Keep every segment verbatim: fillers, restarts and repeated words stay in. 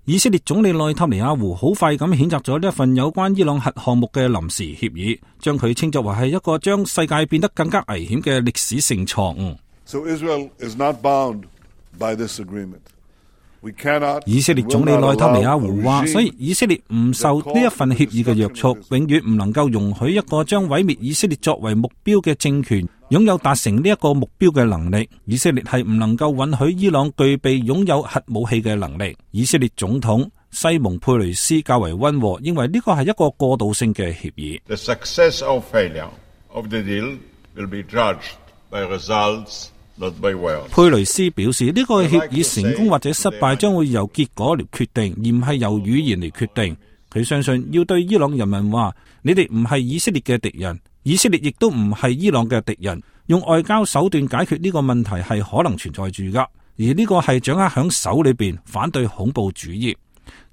以色列總理內塔尼亞胡好快咁譴責咗呢一份有關伊朗核項目嘅臨時協議，將佢稱作為係一個將世界變得更加危險嘅歷史性錯誤。So Israel is not bound by this agreement. 以色列總理內塔尼亞胡話，所以以色列唔受呢一份協議嘅約束，永遠唔能夠容許一個將毀滅以色列作為目標嘅政權擁有達成呢一個目標嘅能力。以色列係唔能夠允許伊朗具備擁有核武器嘅能力。以色列總統西蒙佩雷斯較為溫和，認為呢個係一個過渡性嘅協議。The success or failure of the deal will be judged by results. 佩雷斯表示，呢個協議成功或者失敗將會由結果嚟決定，而唔係由語言嚟決定。佢相信要對伊朗人民話，你哋唔係以色列嘅敵人，以色列亦都唔係伊朗嘅敵人。用外交手段解決呢個問題係可能存在住噶，而呢個係掌握響手裏邊，反對恐怖主義。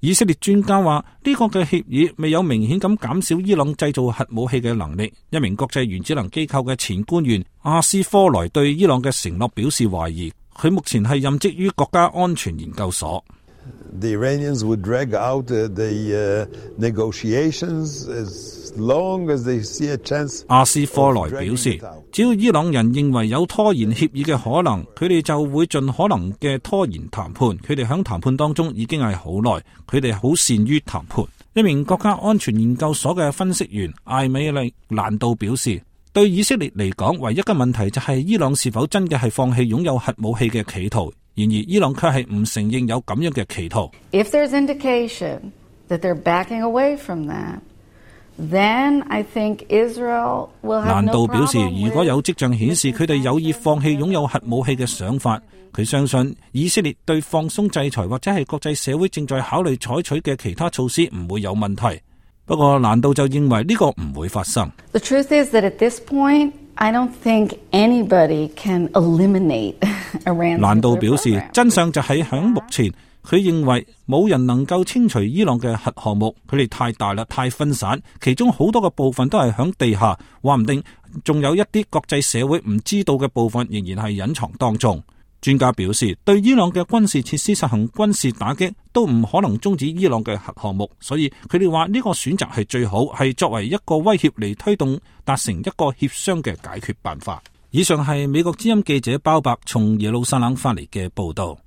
以色列專家話，呢個嘅協議未有明顯咁減少伊朗製造核武器嘅能力。一名國際原子能機構嘅前官員阿斯科萊對伊朗嘅承諾表示懷疑。佢目前係任職於國家安全研究所。The Iranians would drag out the uh, negotiations as long as they see a chance. 阿斯科萊表示，只要伊朗人認為有拖延協議嘅可能，佢哋就會盡可能嘅拖延談判。佢哋喺談判當中已經係好耐，佢哋好善於談判。一名國家安全研究所嘅分析員艾美利蘭道表示，對以色列嚟講，唯一嘅問題就係伊朗是否真嘅係放棄擁有核武器嘅企圖。然而，伊朗卻係唔承認有咁樣嘅企圖。If there's indication that they're backing away from that, then I think Israel will have no problem with. 蘭道表示，如果有跡象顯示佢哋有意放棄擁有核武器嘅想法，佢相信以色列對放鬆制裁或者係國際社會正在考慮採取嘅其他措施唔會有問題。不過，蘭道就認為呢個唔會發生。The truth is that at this point, I don't think anybody can eliminate Iran. 蘭道表示，真相就係響目前，佢認為冇人能夠清除伊朗嘅核項目，佢哋太大啦，太分散，其中好多嘅部分都係響地下，話唔定仲有一啲國際社會唔知道嘅部分仍然係隱藏當中。專家表示，對伊朗嘅軍事設施實行軍事打擊都唔可能終止伊朗嘅核項目，所以佢哋話呢個選擇係最好，係作為一個威脅嚟推動達成一個協商嘅解決辦法。以上係美國之音記者鮑伯從耶路撒冷發嚟嘅報道。